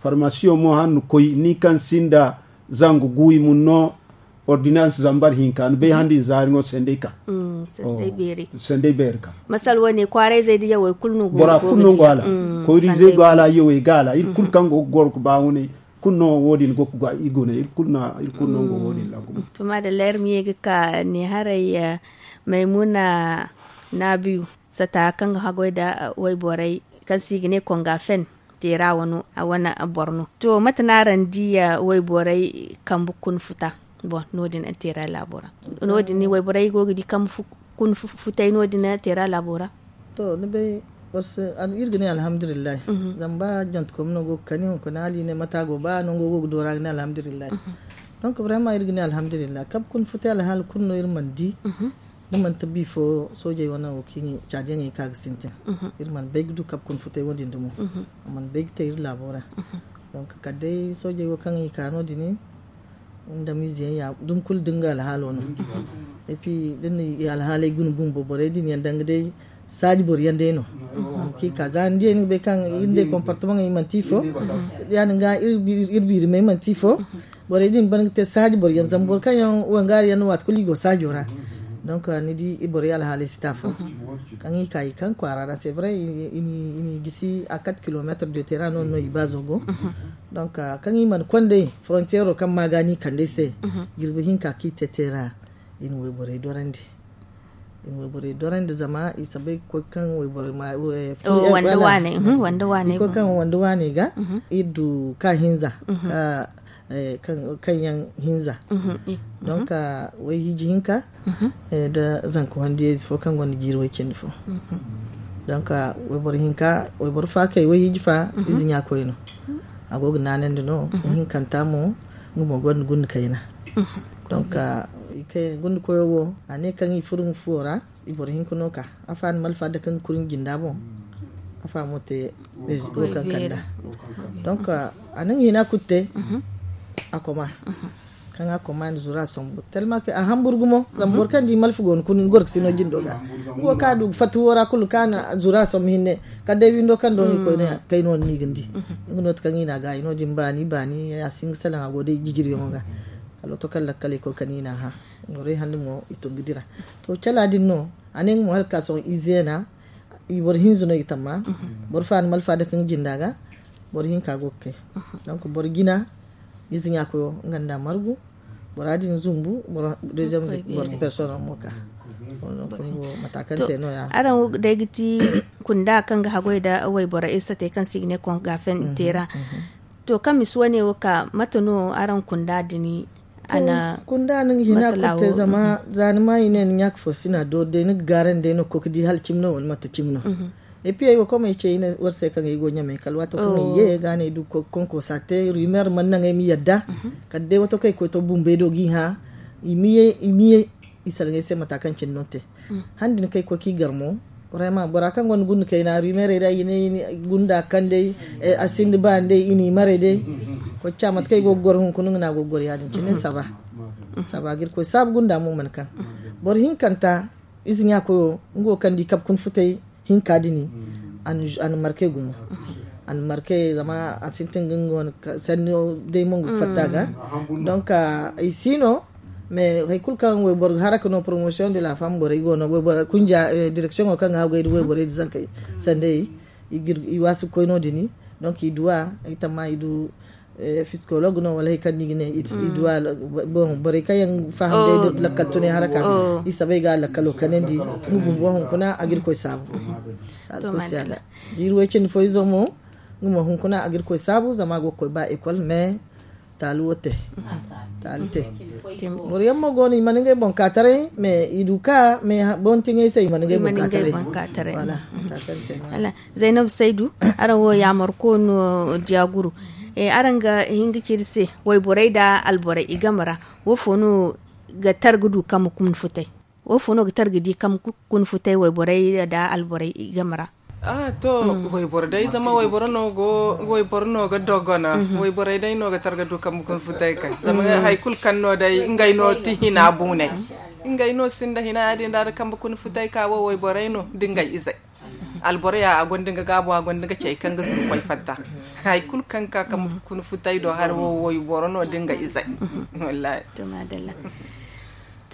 Farmasiyo mo han ni koy ni kaŋ sinda zangu guuyi mun no. Ordinance zambar hinka ni bay handi ni zaari ŋo sanday ka. Sanday beeri ka. Masal wane kwaarayzey da yawey kulu no go hala koyrizey go hala yawey ga hala iri kulu kaŋ go ga goro ga ba wane. Kulu no wo- din go ga gwa i gune iri kulu no go wo- din lagu. To madalla iri ma ye ga ka ne haray maymuna nabiyu sata kaŋ ga haggoy nda wayborey kaŋ se i ga ne konga fen teera wano a wane boro no. To mate no araŋ di wayborey kambe kuna futa? Bon no- din teera laabo ra no- din wayborey go ga di kambe kuna futay no- din teera laabo ra. To ni bay iri ga ne alhamdulillahi. Zama ba jonte koy no go ga kani hunkuna hala i ne mate a go ba nango go ga doora ga ne alhamdulillahi. Donc vraiment iri ga ne alhamdulillahi kabe kuna futa alhaala kulu no iri mana di. Da manti bifo soojey wane wo kaŋ i caadiyaŋey ka ga sintin. Iri mana bay ga du kabe kuna futay wo- din dumo. A mana bay ga te iri laabo ra. Donc kala day soojey wo kaŋ i ka no- din. Nda miize yaŋ ya dumi kulu da nga alhaalo no. Epi da ni alhaaley guna bumbo borey din yaŋ danga day saaji boro yaŋ day no. Haŋ kaŋ i ka za ni diyey ni ga bay kaŋ iri day comportement i manti ifo. Ya- din ga iri biiri ma ay manti ifo. Borey din ban ga te saaji boro yaŋ zama boro kaŋ yaŋ wangaari yaŋ no waati kulu i go saajo ra. Donc ni di borey alhaaley si te afo. Kaŋ i ka i kaŋ kwaara ra c'est vrai i n'i gisi a quatre kilomètres de terrain no no i baazo go. Donc kaŋ i mana konday frontiero kaŋ ma ga ni kand'ey se. Jirbi hinka kaŋ i te te ra i na wayborey dorandi. Wayborey dorandi zama i si bay koy kaŋ wayboro ma wanda waaney ga. Iri du ka hinza kaŋ yaŋ hinza. Donk wayhiiji hinka nda zanka wandiyayze fo kaŋ gonda jiiri way cindi fo. Donk wayboro hinka wayboro faakey wayhiiji fa ize ɲaakoy no. A go ga naanandi no ihinkanta mo nga mo gonda gunda kayna. Donk gunda koyo wo a ne kaŋ i furo nga fuwo ra. Iboro hinka no ka afa ni malfa da kaŋ ga kuri nga jinda boŋ. Afa mo te wo kaŋ kanda. Donk a na nga hina kulu te. A koma kaŋ a koma ni zura sombu telma ke a hamburu gumo zama boro kaŋ di malfa go ni kuri ni goro ga sino jindo ga. Nga wo ka du ga fatti wo ra kulu ka na zura sombu hinne kala day windo kaŋ do ni koy ne kay no ni ga ni di. Nga no ti kaŋ i na a ga i no din baani baani a si nga salaŋ a go day jijiriyaŋo ga. Kala to kaŋ lakkaley koy kaŋ i na a hã. Borey hande mo i tun ga dira. To cala din no a ne nga mo hala ka sohõ i zeena. I boro hinza no i tamma. Boro fa ni malfa da kaŋ jinda ga. Boro hinka go ga kay. Donk boro jina ize ɲaakoyo nga nda margu. Bora din zumbu boro deuxième boro personne mo ka. Mata kaŋ te no ya. Araŋ wo day ga ti kunda kaŋ ga hagoy da wayboro iri sate kaŋ se i ga ne kongafen tera. To kaŋ misi wane wo ka mate no araŋ kunda din? Kunda ni ga hina kulu te zama za ni ma i ne ni ɲaaka fo si na doori day ni ga gaarandi day no ga koy ga di hala cimi no wala manti cimi no. Epiyey wo komey ce i ne war se kaŋ ay go ɲamey kala waato kaŋ ay ye ga ne ay du konkosa te rumeer mana naŋ ay ma yadda. Kala day waato kaŋ ay koy to bumbey do ga i hã i ma ye i salaŋ ay se mata kaŋ cine no te. Handi ni kay koy ki gar mo. Bora kaŋ gonda gunda kayna rumeerey da i ne gunda kandey a sinda baani day i n'i maray day. Koy ca mate kaŋ ay go ga goro hunkuna nga no a go ga goro ya- din cine saba. Saba ga iri koy saabu gunda mo mana kaŋ boro hinkanta ize ɲaakoyo nga wo kaŋ di kabe kuna futay hinka dini. A na marke gumo a na marke zama a sintin ga nga wane sanni day mongu ga fatta ga. Donk ay si no mais hari kulu kaŋ wayboro ga haraka no promotion de la femme borey go no wayboro kunja direction o kaŋ ga haggoy da wayborey da zankey sanda i waasi ga koy no- din. Donk i duwa ay tamma i du psikolog no wala hari kaŋ ni ga ne i duwa. Borey kaŋ yaŋ faham day da lakkal tunay haraka i sabay ga lakkalo kanandi nga bumbo hunkuna a ga iri koy saabu. Jiiri way cindi fo izo mo nga mo hunkuna a ga iri koy saabu zama a go ga koy ba ekol mais taali wo te. Taali te. Boro yaŋ mo go no i mana ngey boŋ ka taray mais i du ka mais boŋ tiŋay se i mana ngey boŋ ka taray. Zainabu saydu, araŋ wo yaamar ko no diya guru. Araŋ ga hin ga ci iri se wayborey nda alborey i game ra? Wo fo no ga tar ga du kambe kuna futay? Wo fo no ga tar ga di kambe kuna futay wayborey nda alborey i game ra? To wayboro day zama wayboro no ga doggona. Wayborey day no ga tar ga du kambe kuna futay kay zama hari kulu kaŋ no day ngey no ti hina buunay. Ngey no sinda hina ya- din da da kambe kuna futay ka wo wayborey no da ngey izey. Alboro ya a gonda nga gaabo a gonda nga cey kaŋ ga zuru koy fatta. Hari kulu kaŋ ga ka kambe kuna futay do hari wo wayboro no da nga izey. Wallahi.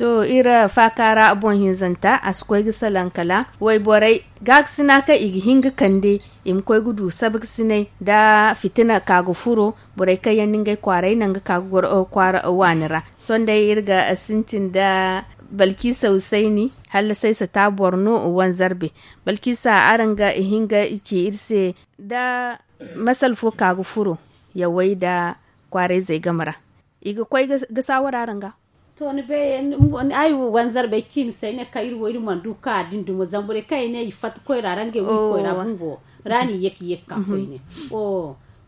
To iri faaka ra boŋ hinzanta a si koy ga salaŋ kala wayborey gaakasina kaŋ i ga hin ga kande i ma koy ga du sabakasinay nda fitina ka ga furo. Borey kaŋ yaŋ na ngey kwaaray naŋ ga ka ga goro kwaara waani ra. Sohõ day iri ga sintin nda balkiisa husayni. Hala saysata boro no wanzarbe. Balkiisa araŋ ga hin ga ci iri se nda masal fo ka ga furo yawey nda kwaarayzey game ra i ga koy ga saawara araŋ ga? To ni bay ay wanzarbey ciimi se ay ne kaŋ iri wo iri mana du ka din dumo zama borey kaŋ ay ne i fatta koyra ra ngey wo iri koyra bumbo ra no i ye ka ye ga ka koyne.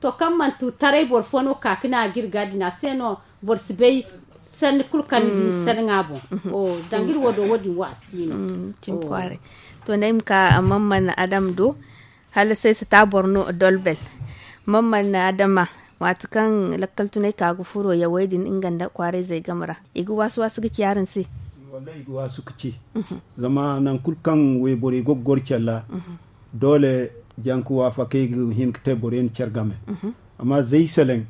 To kaŋ manti taray boro fo no ka ga ne a ga iri ga din a se no boro si bay sanni kulu kaŋ ni di ni sanni ŋwa boŋ. Danga iri wo do wo- din wo a si no. To ni ay ma ka mamman adam do. Hala saysata boro no dolbel. Mamman adama waati kaŋ lakkal tunay ka ga furo yawey din nga nda kwaarayzey game ra i ga waasi waasi ga ci araŋ se? Wallahi i ga waasi ga ci. Zama nangu kulu kaŋ wayborey go ga goro care ra doole janka waafakey ga hin ga te borey na care game. Amma zay seleŋ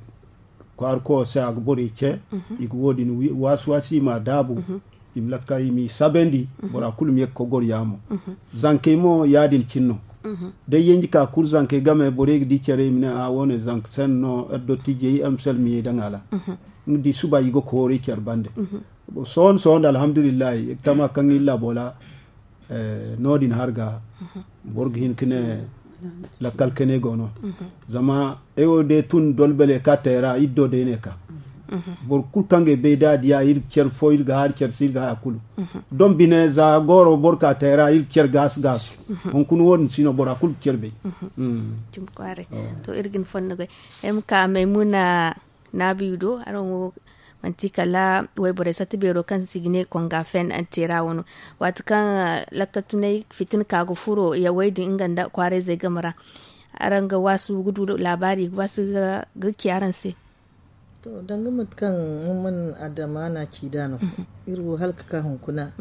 kwaara koyo se a ga borey ce. I ga wo- din waasi waasi i ma a daabu. I ma lakkal i m'i sabandi. Bora kulu ma ye ga koy goro yaamo. Zankey mo ya- din cine no. Da ay yanji ka kuru zankey game borey ga di care i ma ne a wo- ne zanka sanni no iri dottijey iri ma salmiyey daŋ a ra. Nga di suba i ga kooray care bande. Sohõ nda alhamdulillahi tama kaŋ iri laabo ra No- din har ga boro ga hin ga ne lakkal kane go no. Zama ay wo day tun dolbele ka tayra iri do day ne ka boro kulu kaŋ ga bay da a diya iri ga care fo iri ga hari care se iri ga haya kulu. Don bine za goro boro ka tayra iri ga care gaasu gaasu. Hunkuna wo- din si no bora kulu ga care bay. To iri ga ni fondo goy ay ma ka maymuna naabiyu do araŋ wo manti kala wayborey satta beero kaŋ si ga ne konga fen antera wano. Waati kaŋ lakka tunay fitina ka ga furo yawey din nga nda kwaarayzey game ra araŋ ga waasu ga du laabaari ga waasu ga ci araŋ se. To danga mate kaŋ man adama na ci da no iri wo hala ga ka hunkuna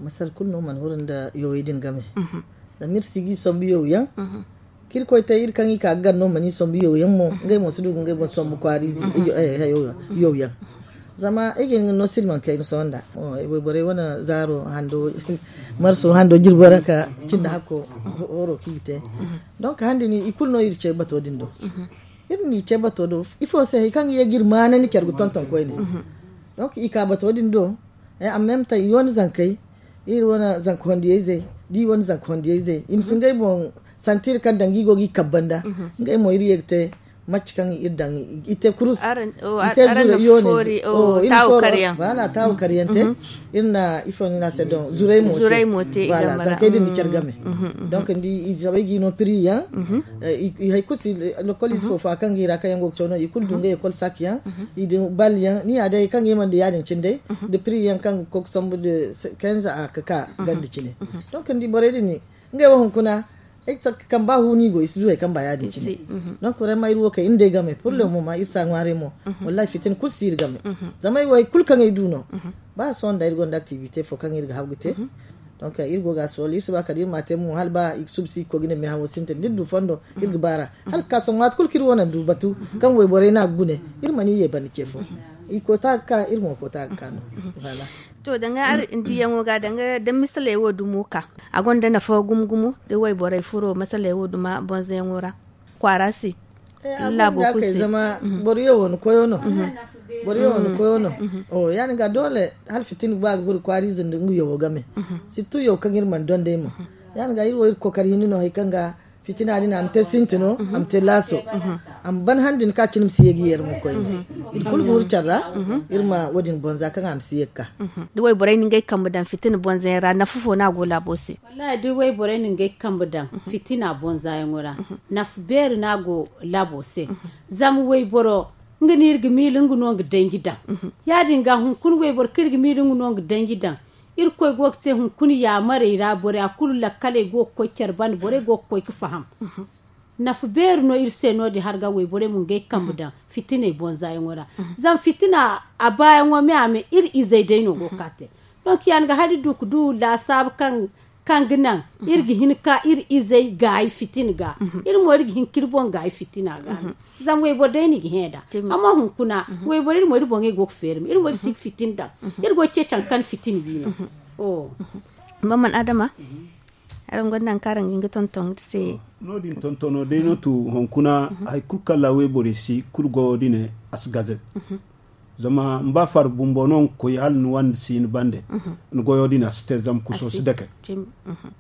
masala kulu no mana huru nda yawey din game. Zama iri si ga i sombu yaw yaŋ kaŋ iri koy te iri kaŋ i ka ga gar no mana i sombu yaw yaŋ mo ngey mo si du ga ngey boŋ sombu kwaariize yaw yaŋ. Zama ay ga hin ga no silmaŋ kayna sohõ nda wayborey wane zaaro hando marso hando jirbo ra ka cindi hakko horo kaŋ i ga te. Donk handi ni i kulu no iri ce bato din do. Iri n'i ce bato do ifo se hari kaŋ ga ye ga iri maana ni care ga tonton koyne. Donk i ka bato din do. Amma mta i wane zankey iri wane zanka hondiyayzey da i wane zanka hondiyayzey i ma si ngey boŋ santi iri kaŋ danga i go ga i kabba nda ngey mo iri ye ga te. Macce kaŋ iri daŋ i te kurus i te zure i wane iri na foori wala taawu karyaŋ te. Iri na ifo ni na se don zuray mo te wala zankey din ni care game. Donk ni di i zabay ga i no piri yaŋ i hari kulu si lokol ize fo fo a kaŋ ga i ra kaŋ yaŋ go ga caw no i kulu du ngey ekol sak yaŋ i din bal yaŋ ni ya day hari kaŋ ga i mana da ya- din cine day da piri yaŋ kaŋ ga koy ga sambu da kenza a ga ka ganda cine. Donk ni di borey din ni ngey wo hunkuna ay ga saka kamba hu no i go i si du hari kamba ya- din cine. Donk vraiment iri wo kay iri nd'ey game pur le moment iri si a ŋwaaray mo. Wallahi fitina kulu si iri game. Zama ay wo hari kulu kaŋ ay du no ba sohõ nda iri gonda activité fo kaŋ iri ga haw ga te. Donk iri go ga a sohõ iri si ba kala iri ma a te mo hala ba i ga subu si ga koy ga ne meehawo sintin da iri du fondo iri ga baar'a hala ga ka sohõ waati kulu kaŋ iri wo naŋ du batu kaŋ wayborey no a ga gune iri mana i ye banda ce fo. I koota ga ka iri mo koota ga ka no. To danga hari diyaŋo ga danga da misaley wo dumo ka a gonda nafa gumo gumo da wayborey furo masaley wo duma bonzoyaŋo ra kwaara se. Laabo kulu se zama boro yawo ni koyo no. Boro yawo ni koyo no. Ya- din ga doole hala fitina ba ga guru kwaariize nda nga yawo game. Sirtu yaw kaŋ iri mana donday mo ya- din ga iri wo iri kookari hinne no hari kaŋ ga fitina din a ma te sintino a ma te laaso. A ma ban han din ka cine ma si ye ga yeeri mo koyne. Iri kulu ga huru care ra iri ma wo- din bonza kaŋ a ma si ye ga ka. Da wayborey na ngey kambe daŋ fitina bonzayaŋ ra nafa fo no a go laabo se? Wallahi da wayborey na ngey kambe daŋ fitina bonzayaŋo ra nafa beeri no a go laabo se. Zama wayboro nga no iri ga miila nga no nga danji daŋ. Ya- din ga hunkuna wayboro kaŋ iri ga miila nga no nga danji daŋ. Irkoy go ga te hunkuna yaamarey ra borey a kulu lakkaley go ga koy care banda borey go ga koy ga faham. Nafa beeri no iri se no- din hari ga wayborey ma ngey kambe daŋ fitiney bonzayaŋo ra. Zama fitina a baayaŋo me a me iri izey day no go ga ka te. Donk ya- din ga hala iri du ga du laasaabu kaŋ ga naŋ iri ga hin ga ka iri izey gaayi fitina ga. Iri mo iri ga hin ka iri boŋ gaayi fitina ga. Zama wayboro day no i ga hẽ nd'a. Amma hunkuna wayboro iri mo iri boŋey go ga feeri me iri mo iri si ga fitina daŋ. Iri go ga ceeci hari kaŋ fitina wi no. Maman adama, araŋ gonda hari kaŋ araŋ ga hin ga tonton iri se? No- din tontono day no tu hunkuna hari kulu kaŋ ra wayborey si kulu goyo din a si gaze. Zama ni ba faara bumbo no nga koy hala ni wande si ni bande. Ni goyo din a si te zama kuso si dake.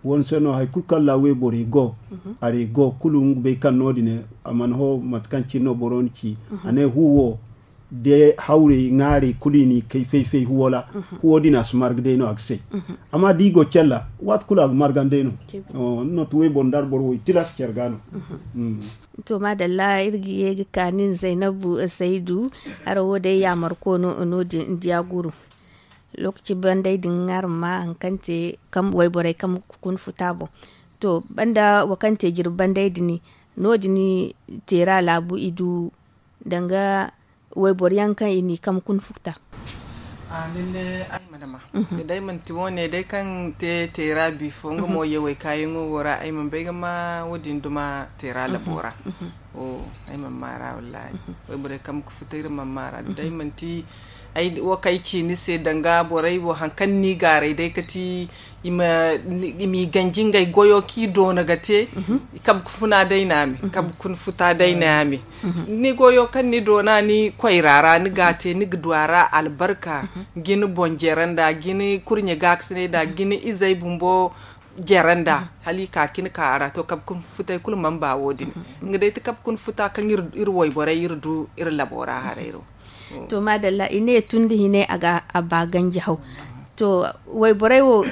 Wani se no hari kulu kaŋ ra wayborey go, arey go kulu nga bay kaŋ no- din a mana ho mate kaŋ cine no boro na ci. A ne hu wo da hawrey ŋaarey kulu i n'i kay fay-fay huwo ra. Huwo din a si marga day no a ga say. Amma da i go care ra waati kulu a ga marga day no. Ni no ti wayboro nda arboro wo i tilas care ga no. To maadalla iri ga ye ga ka nin zaynabu saydu. Araŋ wo day yaamarko no no- din diya guru. Lookaci banday din araŋ ma hari kaŋ te wayborey kaŋ ga kun futa boŋ. To banda wo kaŋ te jirbi banday din no- din teera laabu i du danga wayboro yaŋ kaŋ i n'i kambe kuna fukta. Day manti wo- ne day kaŋ te teera bifo nga mo yawey kaayaŋo wo ra ay mana bay ga ma wo- din duma teera labo ra. Ay mana maara wallaahi. Wayborey kaŋ ga futa iri mana maara da day manti ay wo kaŋ ay ci ni se danga borey wo hari kaŋ ni gaaray day kati i ma i ganji ngey goyo kaŋ i doona ga te. Kabe ga funa day no a me kabe ga funa futa day no a me. Ni goyo kaŋ ni doona ni koyra ra ni ga a te ni ga du a ra albarka. Ga ni boŋ jere nda ga ni kurɲe gaakasinay nda ga ni izey bumbo jere nda hala i ka ka ni ka a ra to kabe ga funa futay kulu mana ba wo- din. Nga day ti kabe ga funa futa kaŋ iri wayborey iri du iri labo ra haray ra. To maadalla i ne tun da hinay a ba ganji haw. To wayborey wo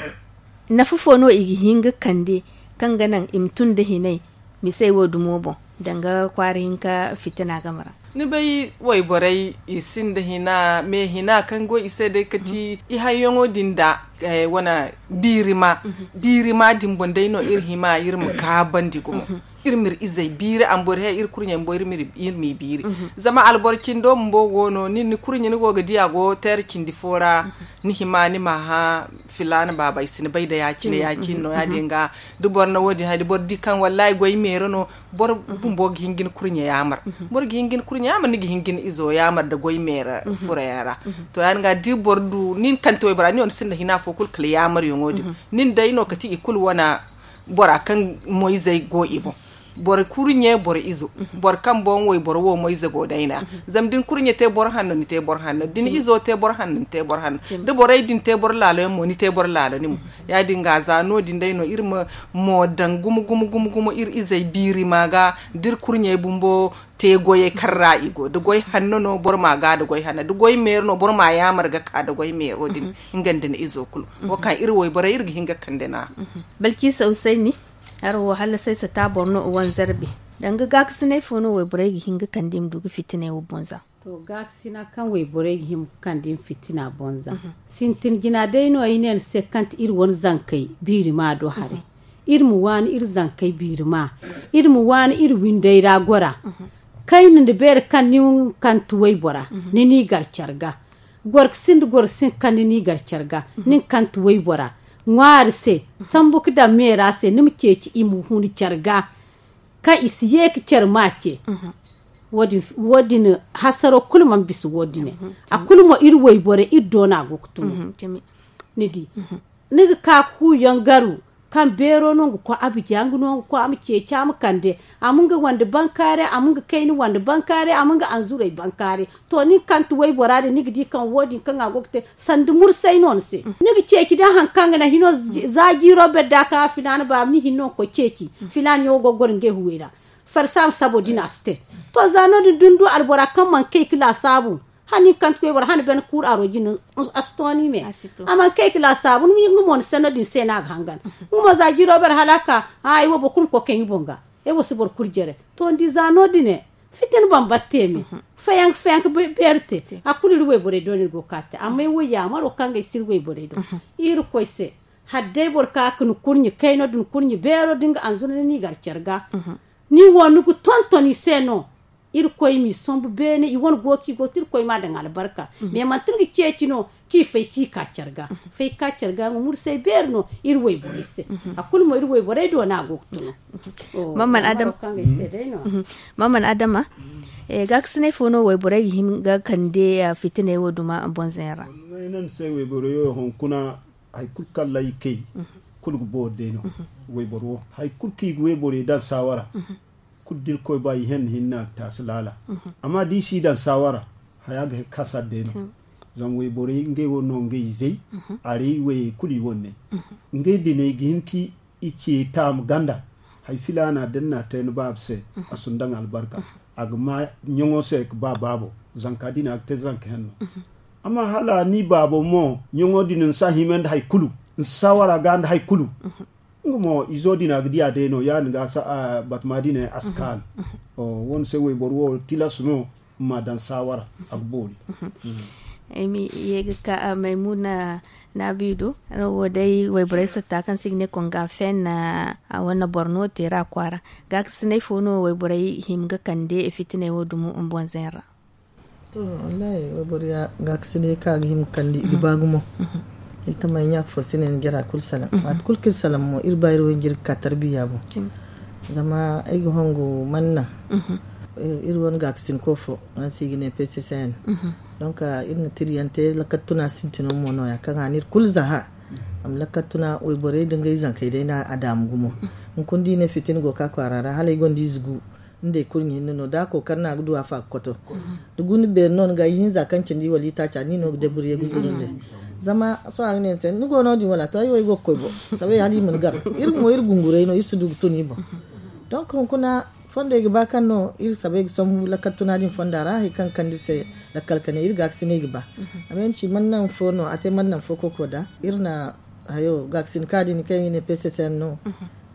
nafa fo no i ga hin ga kande kaŋ ga naŋ i ma tun da hinay misey wo dumo boŋ danga kwaara hinka fitina game ra? Ni bay wayborey i sinda hina me hina kaŋ go i se day kati i hayyaŋo din da wane biirima biirima din boŋ day no iri hima iri ma gaabandi gumo. Iri ma iri izey biiri ambor he iri kurɲey bumbo iri ma i biiri. Zama alboro cindo bumbo go no nin ni kurɲe ni go ga di a go teera cindi fo ra. Ni hima ni ma hã filaana baaba ay si ni bay da ya-cine ya-cine no ya- din ga da boro na wo- din hari da boro di kaŋ wallaahi goy meera no. Boro bumbo ga hin ga ni kurɲe yaamar. Boro ga hin ga ni kurɲe yaamar ni ga hin ga ni izo yaamar nda goy meera furo yaŋ ra. To ya- din ga da boro du nin kante waybora ni wane sinda hina fo kulu kala yaamaryaŋo din nin day no kati i kulu wane bora kaŋ moyzey go i boŋ. Boro kurɲe boro izo boro kaŋ boŋ wayboro wo moyze go day no a. Zama da ni kurɲe te boro hanno ni te boro hanno da ni izo te boro hanno ni te boro hanno. Da borey din te boro laalo yaŋ mo ni te boro laalo ni mo. Ya- din ga za no- din day no iri ma mo daŋ gumo gumo gumo gumo iri izey biiri ma ga da iri kurɲey bumbo te goyey kaŋ ra i go da goy hanno no boro ma ga da goy hanno da goy meero no boro ma yaamar ga ka da goy meero din. Nga nda ni izo kulu wo kaŋ iri wayborey iri ga hin ga kande no a. Balciisa usayni. Haro wo hala say sata boro no wanzarbe danga gaakasinay fo no wayborey ga hin ga kande i ma du ga fitinay wo boŋ za. To gaakasina kaŋ wayborey ga hin ga kande i ma fitina boŋ za. Sintin jina day no ay ne ni se kaŋ ti iri wane zankey biiri ma do haray. Iri ma waani iri zankey biiri ma iri ma waani iri windey ra gora. Kayna nda beere kaŋ ni kaŋ ti waybora ni n'i gar care ga. Goro ga sinda goro ga sinda kaŋ ni n'i gar care ga. Nin kaŋ ti waybora ŋwaari se sambu ga daŋ meera se ni ma ceeci i ma hun care ga. Kaŋ i si ye ga care ma ce. Wo- din hasaro kulu mana bisa wo- dine. A kulu mo iri wayborey iri doona go ga tun. Ni di ni ga ka ga huuyaŋ garu kaŋ beero no nga koy abija nga no nga koy a ma ceeci a ma kande. A ma nga wande bankaare a ma nga kayna wande bankaare a ma nga anzuray bankaare. To nin kaŋ ti waybora din ni ga di kaŋ wo- din kaŋ a go ga te sanda mursay no ni se ni ga ceeci da hari kaŋ ga naŋ hino za jiiro bere da kaŋ a filaana baaba ni hinno ga koy ceeci. Filaana yaŋo go ga goro ngey huwey ra farsaama sabo din a si te. To za no- din da ni du albora kaŋ mana kay ga laasaabu hala nin kaŋ ti koy boro hana bene kuuru aro jine a si to ni me. A mana kay ga laasaabu nga mo ni sanno din se no a ga hangan. Nga mo za jiiro bere hala a ka ay wo boro kulu ma koy kay nga boŋ ga. Ay wo si boro kulu jere to ni di za no- dine fitina bambata te me. Fayanka fayanka beeri te a kulu iri wayborey do no iri go ga ka te amma ay wo yaamaro kaŋ ga ay si iri wayborey do. Iri koy se hala day boro ka ga ni kurɲe kayno da ni kurɲe beero da nga anzuna ni n'i gar care ga. Ni wo ni ga tonton i se no. Iri koy m'i sombu beene i wane go kaŋ i go ga te iri koy m'a daŋ albarka. Mais manti ni ga ceeci no kaŋ i fay kaŋ i ka care ga fay ga ka care ga nga mursay beeri no iri wayborey se. A kulu mo iri wayborey do no a go ga tun. Mamman adama. Gaakasinay fo no wayborey ga hin ga kande fitiney wo duma bonzayaŋ ra? Ay ne ni se wayborey wo hunkuna hari kulu kaŋ ra i kay kulu ga boori day no. Wayboro wo hari kulu kaŋ i ga wayborey daŋ saawara kulu da irkoy ba i henne hinne a ga taasi laala. Amma da i si daŋ saawara haya ga kasa day no. Zama wayborey ngey wo no ngey izey aray wayey kulu i wane ne ngey diney ga hin ka i ce taama ganda. Hari filaana da ni n'a te ni baaba se a si ni daŋ albarka. A ga ma ɲaŋo se ga ba baabo zanka din a ga te zanka henno. Amma hala ni baabo mo ɲaŋo din ni si a hima nda hari kulu ni si saawara ga nda hari kulu. Nga mo izo din a ga di a day no ya- din ga batama din a si kaanu. Wo- ni se wayboro wo tilas no ma daŋ saawara a ga boori. Ay ma ye ga ka maymuna naabiido. Wo day wayborey satta kaŋ se i ga ne konga fen a wane boro no teera kwaara. Gaakasinay fo no wayborey hima ga kande fitiney wo dumo bonzayaŋ ra? To wallahi wayboro ya gaakasinay kaŋ a ga hima ga kande i ga ba gumo. Ay tamay ɲa fo si ne ni jara kulu salaŋ waati kulu kaŋ iri salaŋ mo iri ba iri wo iri ga ka tarbiya boŋ. Zama ay ga hongu manna Iri wane gaakasinko fo, araŋ se i ga ne pccn. Donc iri na tiryaŋ te lakkal tuna sintino mo nooya kaŋ a na iri kulu zaha. Amma lakkal tuna wayborey da ngey zankey day no a daamu gumo. Hunkuna da i ne fitina go ga ka kwaara ra hala ay gonda ize gu nda ay kurɲe hinne no da a kookari no a ga du a fa ga koto. Da gu ni beeri no ni ga ihinza kaŋ cindi wala itaaca ni no ga deburiye ga zuru nda ay. Zama sohõ a ga ne ni se ni go no- din wala to ay wo ay go ga koy bo. Sabay hala i ma ni gar. Iri mo iri gunguray no iri si du ga tun i boŋ. Donc hunkuna fondey ga ba kaŋ no iri sabay ga sambu lakkal tuna din fonda ra hari kaŋ ga kande iri se lakkal kane iri gaakasiney ga ba. Amma iri ci mana naŋ fo no a te mana naŋ fo koko da iri na hayo gaakasin ka din kaŋ i ga ne pccn no.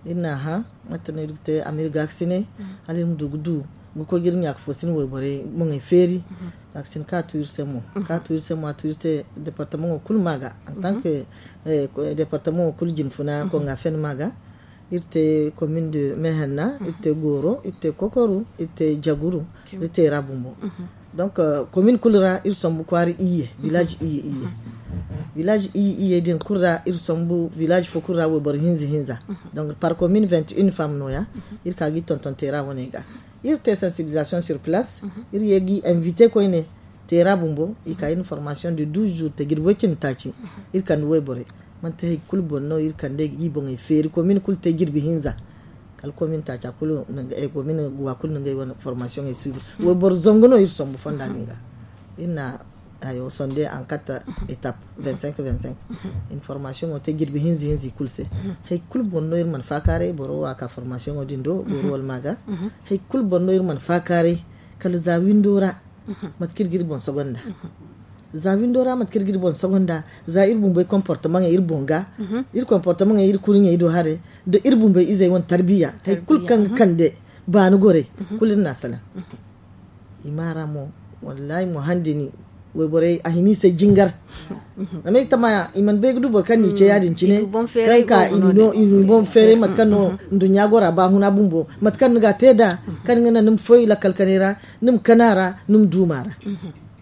Iri na a hã mate no iri ga te amma iri gaakasiney hala iri ma du ga du ga koy ga iri ɲaaka fo sina wayborey boŋey feeri. Gaakasin ka tu iri se mo ka tu iri se mo a tu iri se departamaŋo kulu ma ga en tant que departamaŋo kulu jinfuna konga fen ma ga. Iri te commune de mehenna iri te goro iri te kokoru iri te jaguru iri te ra bumbo. Donc commune kulu ra iri sambu kwaara iyye village iyye iyye. Village iyye iyye din kulu ra iri sambu village fo kulu ra wayboro hinza hinza. Donc par commune vingt et une femme nooya. Iri ka ga i tonton te ra wane ga iri te sensibilisation sur place. Iri ye ga i invite koyne te ra bumbo i ka iri na formation de douze jours te jirbi way cindi taaci. Iri kande wayborey manti hari kulu boŋ no iri kande ga i boŋey feeri commune kulu te jirbi hinza. Kala commune taaca kulu na ngey wane formation ey suubi. Wayboro zangu no iri sambu fonda din ga iri na hayo sonde en quatre étape vingt cinq vingt cinq. Iri na formation wo te jirbi hinza hinza i kulu se. Hari kulu boŋ no iri mana faakaaray boro wo a ka formation wo din do goro wala ma ga. Hari kulu boŋ no iri mana faakaaray kala za windo ra. Mate kaŋ iri ga iri boŋ sogonda za windo ra mate kaŋ iri ga iri boŋ sogonda za iri bumbey comportement iri boŋ ga. Iri comportement iri kurɲey do haray da iri bumbey izey wane tarbiya hari kulu kaŋ ga kande baani gorey kulu iri na a salaŋ. I ma ra mo wallahi mo handini wayborey a hima i se jingar. Zama i tama i mana bay ga du boro kaŋ n'i ce ya- din cine kaŋ ka i na i boŋ feeray mate kaŋ no nduɲɲa gora baahuna bumbo mate kaŋ ni ga a te nd'a kaŋ ni ga naŋ ni ma foy lakkal kanay ra ni ma kana ra ni ma duuma ra.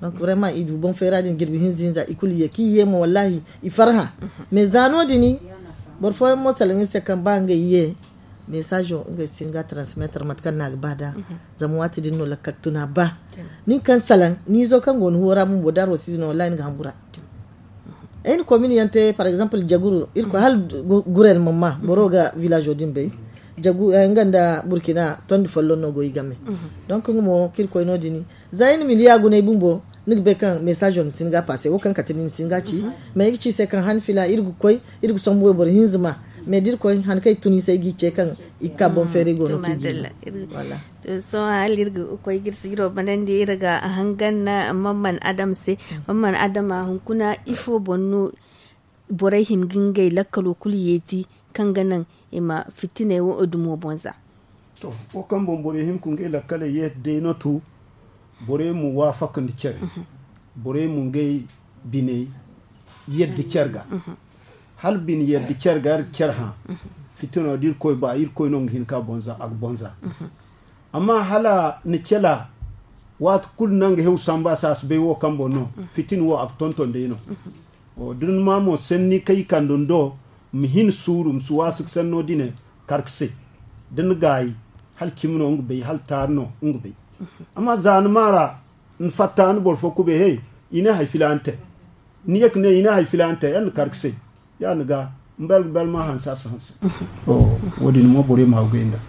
Donc vraiment i du boŋ feera din jirbi hinza hinza i kulu ye kaŋ i ye mo wallahi i farhã. Mais za no- din boro fooyaŋ mo salaŋ iri se kaŋ ba ngey ye mesazo ngey si hin ga transmettre mate kaŋ no a ga ba nd'a. Zama waati din no lakkal tuna ba nin kaŋ salaŋ ni izo kaŋ go ni huwo ra bumbo da arwasiize no wallahi ni ga hambura. Ay na komin yaŋ te par exemple jaguru iri koy hala gurel mamma boro ga village din bay. Jagu nga nda burkina tondi folloŋ no go i game. Donc nga mo kaŋ iri koy no- din za ay na miliya guna ay bumbo ni ga bay kaŋ message wo ni si hin ga passe wo kaŋ kate ni ni si hin ga ci. Mais ay ga ci i se kaŋ han fila iri ga koy iri ga sombu wayboro hinza ma mais da iri koy han kaŋ ay tun i se ay g'i ce kaŋ i ga ka boŋ feeray go no kaŋ i ga i ma. Sohõ hala iri ga koy ga iri siiro banandi iri ga hangan mamman adam se. Mamman adama hunkuna ifo boŋ no borey hin ga ngey lakkalo kulu yeeti kaŋ ga naŋ i ma fitiney wo dumo boŋ za? To wo kaŋ boŋ borey hin ga ngey lakkaley yeeti day no to borey ma waafaka nda care. Borey ma ngey biney yadda care ga. Hala bine yadda care ga iri care hã fitino da irkoy ba irkoy no nga hin ka bonza a ga bonza. Amma hala ni cela waati kulu no nga hew samba saasi bay wo kaŋ boŋ no fitin wo a ga tonton day no. Da ni ma mo sanni kaŋ i kande ni do ma hin suuru ma si waasu ga sanno dine kar ga se da ni gaayi hala cimi no nga bay hala taari no nga bay. Amma za ni maara ni fatta ni boro fo kubay hey i ne hari filaana te. Ni ye ga ne i ne hari filaana te yaŋ ni kar ga se ya ni ga ni bel ga bel ma hanse a si hanse. Wo- din mo borey ma goy nda.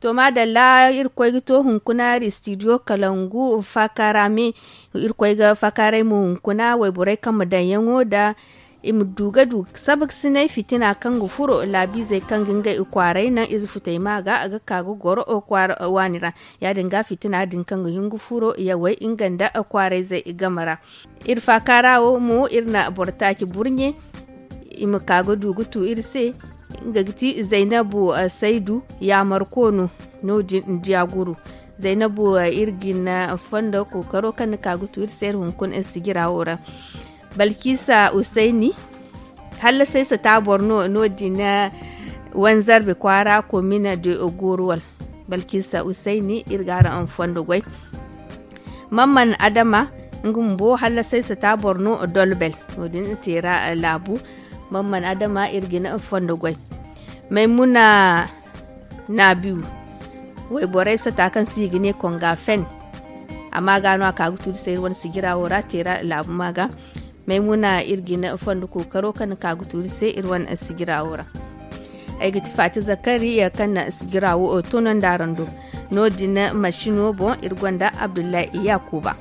To maadalla irkoy ga to hunkuna iri studio kalangu faakaara me. Irkoy ga faakaaray mo hunkuna wayborey kaŋ ma daŋ yaŋo nda i ma du ga du sabaksinay fitina kaŋ ga furo laabiizey kaŋ ga ngey kwaaray naŋ ize futay ma ga ga ka ga goro kwaara waani ra. Ya- din ga fitina din kaŋ ga hin ga furo yawey nga nda kwaarayzey game ra. Iri faakaara wo mo iri na boro taaci burɲe i ma ka ga du ga tu iri se. Nga ga ti zaynabu saydu yaamarko no. No- din nda ya guru zaynabu iri ga hin fondo kookaro kaŋ ni ka ga tu iri se iri hunkuna iri sijira wo ra. Balkisa usayni hallasay sata boro no no- din wanzarbe kwaara komina de goruwal. Balkisa usayni iri ga araŋ fondo goy. Mamman adama nga bumbo hallasay sata boro no dolbel no- din teera laabu. Mamman adama iri ga hin fondo goy. Maymuna naabiyu Wayborey sata kaŋ se i ga ne konga fen. Amma ga no a ka ga tuuri se iri wane sijira wo ra teera laabu ma ga. Maymuna iri ga ne fondo kookaro kaŋ na ka ga tuuri se iri wane sijira wo ra. Ay ga ti faati zakari kaŋ na sijira wo toonandi araŋ do. No- din masino boŋ iri gonda abdullahi yakuba.